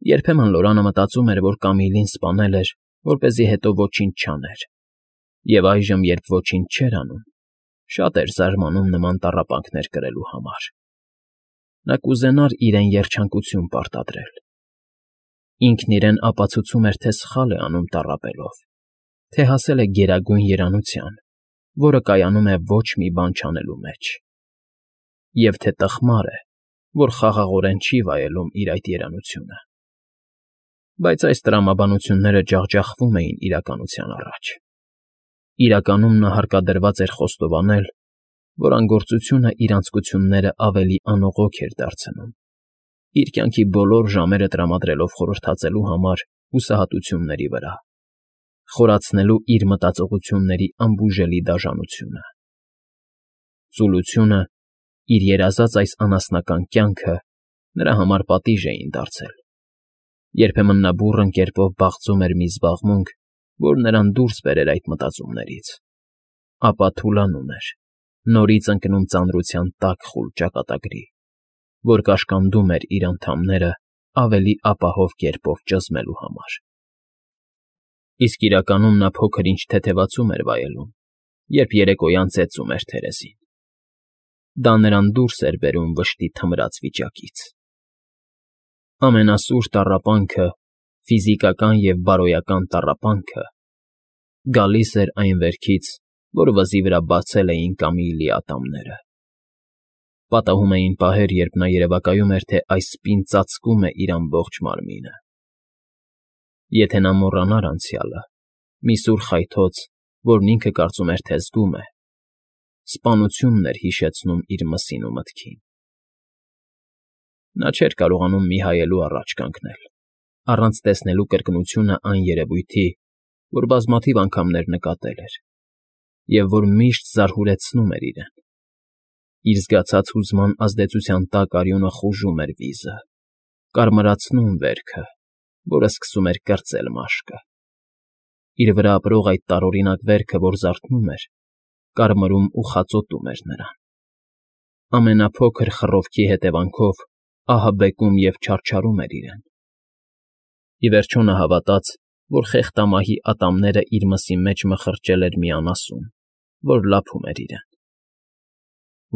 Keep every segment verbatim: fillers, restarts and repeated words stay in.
Երբեմն Լորանը մտածում էր, որ Կամիլին սպանել էր, որպեսզի հետո ոչինչ չաներ, և այժմ, երբ ոչինչ չէր անում, շատ էր զարմանում նման տառապանքներ կրելու համար. նա կուզենար իրեն երջանկություն պարտադրել. ինքն իրեն ապացուցում էր, թե սխալ է անում տառապելով, թե հասել է գերագույն երանության, որը կայանում է ոչ մի բան չանելու մեջ, և թե տխմար է, որ խաղաղորեն չի վայելում իր այդ երանությունը։ Բայց այս տրամաբանությունները ջախջախվում էին իրականության առաջ. իրականում նա հարկադրված էր խոստովանել, որ անգործությունն իր անձկությունները ավելի անողոք էր դարձնում, իր կյանքի բոլոր ժամերը տրամադրելով խորհրդածելու համար հուսահատությունների վրա, խորացնելու իր մտածողությունների անբուժելի դաժանությունը։ Ծուլությունը, իր երազած այս անասնական կյանքը նրա համար պատիժ էին դարձել. երբեմն նա բուռն կերպով բաղձում էր մի զբաղմունք, որ նրան դուրս բերեր այդ մտածումներից, ապա թուլանում էր, նորից ընկնում ծանրության տաք խուլ ճակատագրի, որ կաշկանդում էր իր անդամները ավելի ապահով կերպով ճզմելու համար։ Իսկ իրականում նա փոքր-ինչ թեթևացում էր վայելում, երբ երեկոյան ծեծում էր թերեսին. դա նրան դուրս էր բերում վշտի թմրած վիճակից։ Ամենասուր տառապանքը, ֆիզիկական և բարոյական տառապանքը, գալիս էր այն վերքից, որ վզի վրա բացել էին Կամիլի ատամները։ Պատահում էին պահեր, երբ նա երևակայում էր, թե այս սպին ծածկում է իր ամբողջ մարմինը։ Եթե նա մոռանար անցյալը, մի սուր խայթոց, որն ինքը կարծում էր, թե զգում է, սպանությունն էր հիշեցնում իր մսին ու մտքին։ Նա չէր կարողանում մի հայելու առաջ կանգնել, առանց տեսնելու կրկնությունը այն երևույթի, որ բազմաթիվ անգամներ նկատել էր, և որ միշտ զարհուրեցնում էր իրեն։ Իր զգացած հուզման ազդեցության տակ արյունը խուժում էր վիզը, կարմրացնում վերքը, որը սկսում էր կրծել մաշկը։ Իր վրա ապրող այդ տարօրինակ վերքը, որ զարթնում էր, կարմրում ու խածոտում էր նրան։ Ամենափոքր խռովքի հետևանքով ահաբեկում և չարչարում էր իրեն։ Ի վերջո նա հավատաց, որ խեղտամահի ատամները իր մսի մեջ մխրճել էր մի անասուն, որ լափում էր իրեն։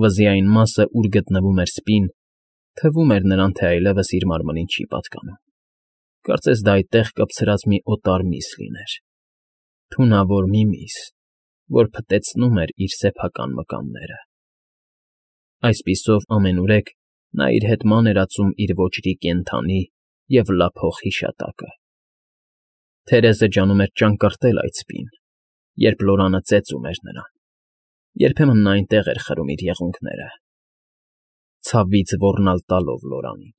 Վզի այն մասը, ուր գտնվում էր սպին, թվում էր նրան, թե այլևս իր մարմնին չի պատկանում, կարծես դա այդտեղ կպցրած մի օտար միս լիներ, թունավոր մի միս, որ փտեցնում էր իր սեփական մկանները։ Այսպիսով ամենուրեք նա իր հետ ման էր ածում իր ոճրի կենդանի և լափող հիշատակը։ Թերեզը ջանում էր ճանկռտել այդ սպին, երբ Լորանը ծեծում էր նրան, երբեմն նա այնտեղ էր խրում իր եղունգները, ցավից ոռնալ տալով Լորանին։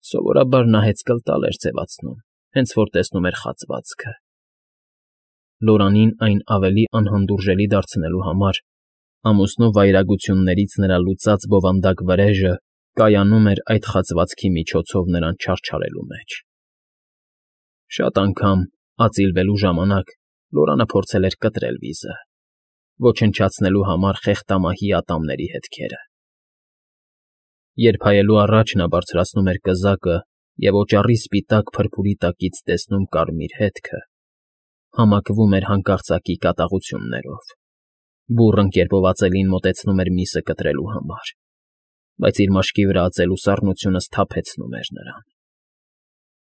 Սովորաբար նա հեծկլտալ էր ձևացնում, հենց որ տեսնում էր խացվածքը։ Լորանին այն ավելի անհանդուրժելի դարձնելու համար ամուսնու վայրագություններից նրա լուծած բովանդակ վրեժը կայանում էր այդ խացվածքի միջոցով նրան չարչարելու մեջ։ Շատ անգամ, ածիլվելու ժամանակ, Լորանը փորձել էր կտրել վիզը, ոչնչացնելու համար խեղտամահի ատամների հետքերը։ Երբ հայելու առաջ նա բարձրացնում էր կզակը և օճառի սպիտակ փրփուրի տակից տեսնում կարմիր հետքը, համակվում էր հանկարծակի կատաղություններով, բուռն կերպով ածելին մոտեցնում էր միսը կտրելու համար, բայց իր մաշկի վրա ածելու սառնությունը սթափեցնում էր նրան։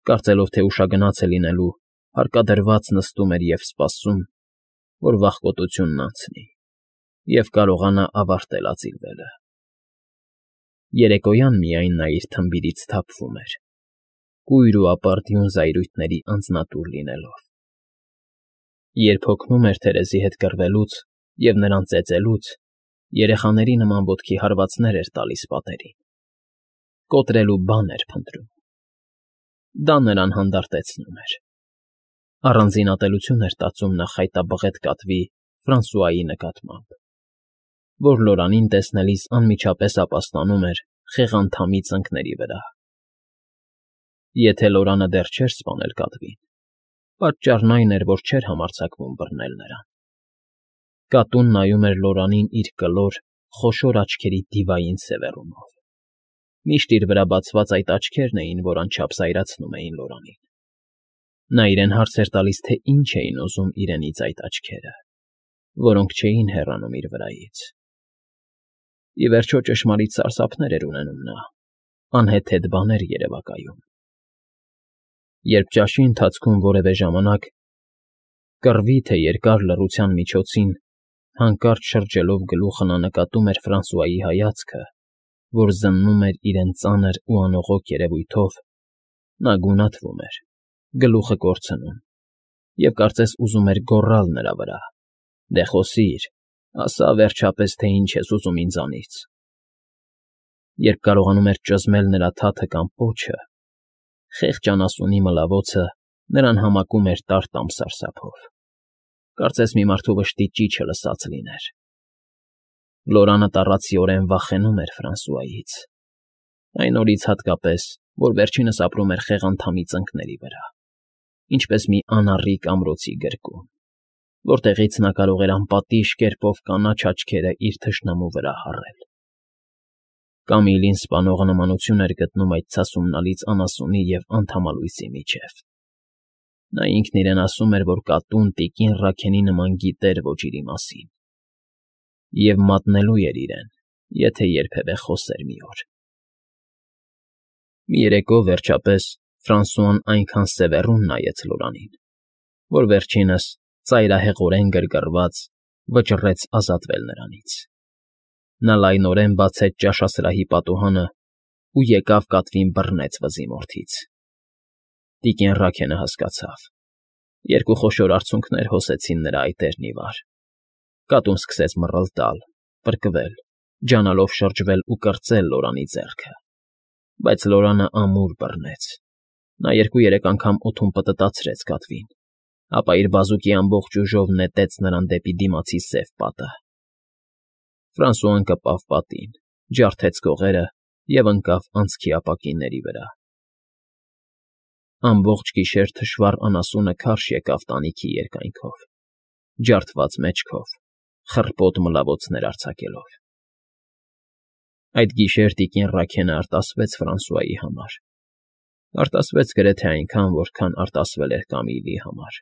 Կարծելով, թե ուշագնաց է լինելու, հարկադրված նստում էր և սպասում, որ վախկոտությունն անցնի, և կարողանա ավարտել ածիլվելը։ Երեկոյան միայն նա իր թմբիրից սթափվում էր, կույր ու ապարդյուն զայրույթների անձնատուր լինելով։ Երբ հոգնում էր Թերեզի հետ կռվելուց և նրան ծեծելուց, երեխաների նման ոտքի հարվածներ էր տալիս պատերին, կոտրելու բան էր փնտրում։ Դա նրան հանդարտեցնում էր։ Առանձին ատելություն էր տածում նա խայտաբղետ կատվի Ֆրանսուայի նկատմամբ, որ Լորանին տեսնելիս անմիջապես ապաստանում էր խեղանդամի ծնկների վրա։ Եթե Լորանը դեռ չէր սպանել կատվին, պատճառն այն էր, որ չէր համարձակվում բռնել նրան։ Կատուն նայում էր Լորանին իր կլոր, խոշոր աչքերի դիվային սևեռումով։ Միշտ իր վրա բացված այդ աչքերն էին, որ անչափ զայրացնում էին Լորանին։ Նա իրեն հարց էր տալիս, թե ինչ էին ուզում իրենից այդ աչքերը, որոնք չէին հեռանում իր վրայից։ Ի վերջո ճշմարիտ սարսափներ էր ունենում նա, անհեթեթ բաներ երևակայում։ Երբ ճաշի ընթացքում որևէ ժամանակ, կռվի թե երկար լռության միջոցին, հանկարծ շրջելով գլուխը նա նկատում էր Ֆրանսուայի հայացքը, որ զննում էր իրեն ծանր ու անողոք երևույթով, նա գունատվում էր, գլուխը կորցնում, և կարծես ուզում էր գոռալ նրա վրա. «Դե խոսիր, ասա վերջապես, թե ինչ ես ուզում ինձանից»։ Երբ կարողանում էր ճզմել նրա թաթը կամ պոչը, խեղճ անասունի մլավոցը նրան համակում էր տար֊տամ սարսափով, կարծես մի մարդու վշտի ճիչը լսած լիներ։ Լորանը տառացիորեն վախենում էր Ֆրանսուայից, այն օրից հատկապես, որ վերջինս ապրում էր խեղանդամի ծնկների վրա, ինչպես մի անառիկ ամրոցի գրկում, որտեղից նա կարող էր անպատիժ կերպով կանաչ աչքերը իր թշնամու վրա հառել։ Կամիլին սպանողը նմանություն էր գտնում այդ ցասումնալից անասունի և անդամալույսի միջև։ Նա ինքն իրեն ասում էր, որ կատուն տիկին Ռաքենի նման գիտեր ոճիրի մասին, և մատնելու էր իրեն, եթե երբևէ խոսեր մի օր։ Մի երեկո, վերջապես, Ֆրանսուան այնքան սևեռուն նայեց Լորանին, որ վերջինս, ծայրահեղորեն գրգռված, վճռեց ազատվել նրանից։ Նա լայնորեն բացեց ճաշասրահի պատուհանը ու եկավ կատվին բռնեց վզի մորթից։ Տիկին Ռաքենը հասկացավ. երկու խոշոր արցունքներ հոսեցին նրա այտերն ի վար։ Կատուն սկսեց մռլտալ, պրկվել, ջանալով շրջվել ու կրծել Լորանի ձեռքը, բայց Լորանը ամուր բռնեց։ Նա երկու֊երեք անգամ օդում պտտացրեց կատվին, ապա իր բազուկի ամբողջ ուժով նետեց նրան դեպի դիմացի սև պատը։ Ֆրանսուան կպավ պատին, ջարդեց կողերը և ընկավ անցքի ապակիների վրա։ Ամբողջ գիշեր թշվառ անասունը քարշ եկավ տանիքի երկայնքով, ջարդված մեջքով, խռպոտ մլավոցներ արձակելով։ Այդ գիշեր տիկին Ռաքենը արտասվեց Ֆրանսուայի համար, արտասվեց գրեթե այնքան, որքան արտասվել էր Կամիլի համար։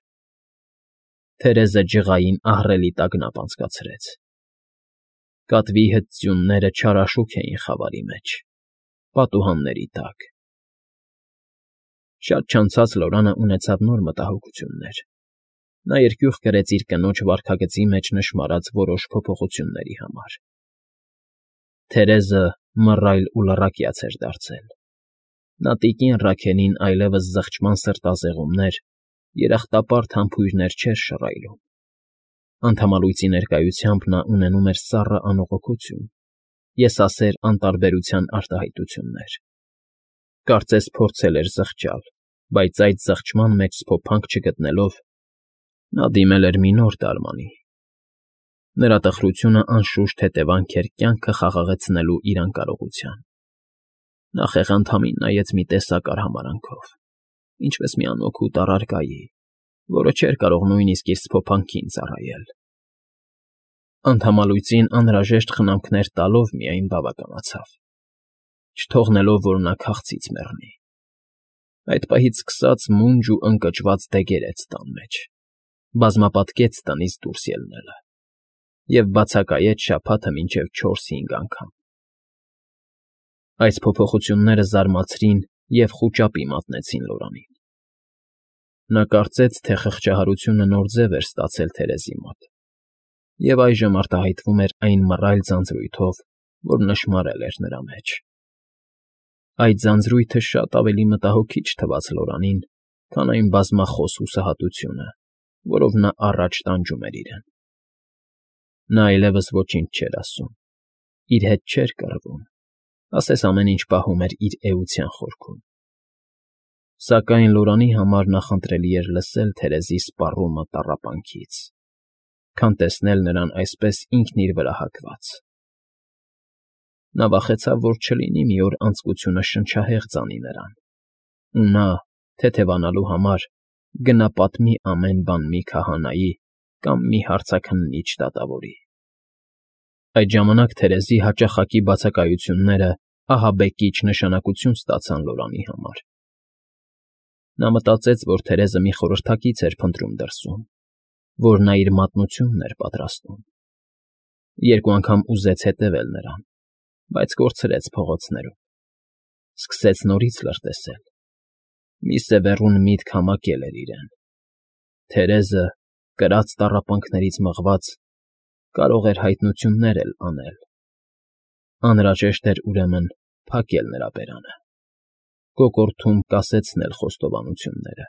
Թերեզը ջղային ահռելի տագնապ անցկացրեց։ Կատվի հրծյունները չարաշուք էին խավարի մեջ, պատուհանների տակ։ Շատ չանցած Լորանը ունեցավ նոր մտահոգություններ։ Նա երկյուղ կրեց իր կնոջ վարքագծի մեջ նշմարած որոշ փոփոխությունների համար։ Թերեզը մռայլ ու լռակյաց էր դարձել։ Նա տիկին Ռաքենին այլևս զղջման սրտազեղումներ, երախտապարտ համբույրներ չէր շռայլում։ Անդամալույսի ներկայությամբ նա ունենում էր սառը անողոքություն, եսասեր անտարբերության արտահայտություններ։ Կարծես փորձել էր զղջալ, բայց այդ զղջման մեջ սփոփանք չգտնելով, նա դիմել էր մի նոր դարմանի։ Նրա տխրությունը անշուշտ հետևանք էր կյանքը խաղաղեցնելու իր անկարողության։ Նա խեղանդամին նայեց մի տեսակ արհամարհանքով, ինչպես մի անօգուտ առարկայի, որը չէր կարող նույնիսկ իր սփոփանքին ծառայել։ Անդամալույսին անհրաժեշտ խնամքներ տալով միայն բավականացավ, չթողնելով, որ նա քաղցից մեռնի։ Այդ պահից սկսած մունջ ու ընկճված դեգերեց տան մեջ, բազմապատկեց տնից դուրս ելնելը և բացակայեց շաբաթը մինչև չորս֊հինգ անգամ։ Այս փոփոխությունները զարմացրին և խուճապի մատնեցին Լորանին։ Նա կարծեց, թե խղճահարությունը նոր ձև էր ստացել Թերեզի մոտ, և այժմ արտահայտվում էր այն մռայլ ձանձրույթով, որ նշմարել էր նրա մեջ։ Այդ ձանձրույթը շատ ավելի մտահոգիչ թվաց Լորանին, քան այն բազմախոս հուսահատությունը, որով նա առաջ տանջում էր իրեն։ Նա այլևս ոչինչ չէր ասում, իր հետ չէր կռվում, ասես ամեն ինչ պահում էր իր էության խորքում։ Սակայն Լորանի համար նախընտրելի էր լսել Թերեզի սպառումը տառապանքից, քան տեսնել նրան այսպես ինքն իր վրա հակված։ Նա վախեցավ, որ չլինի մի օր անձկությունը շնչահեղձ անի նրան, ու նա, թեթևանալու համար, գնա պատմի ամեն բան մի քահանայի կամ մի հարցաքննիչ դատավորի։ Այդ ժամանակ Թերեզի հաճախակի բացակայությունները ահաբեկիչ նշանակություն ստացան Լորանի համար։ Նա մտածեց, որ Թերեզը մի խորհրդակից էր փնտրում դրսում, որ նա իր մատնությունն էր պատրաստում։ Երկու անգամ ուզեց հետևել նրան, բայց կորցրեց փողոցներում, սկսեց նորից լրտեսել։ Մի սևեռուն միտք համակել էր իրեն. Թերեզը, կրած տառապանքներից մղված, կարող էր հայտնություններ էլ անել։ Անհրաժեշտ էր, ուրեմն, փակել նրա բերանը, կոկորդում կասեցնել խոստովանությունները։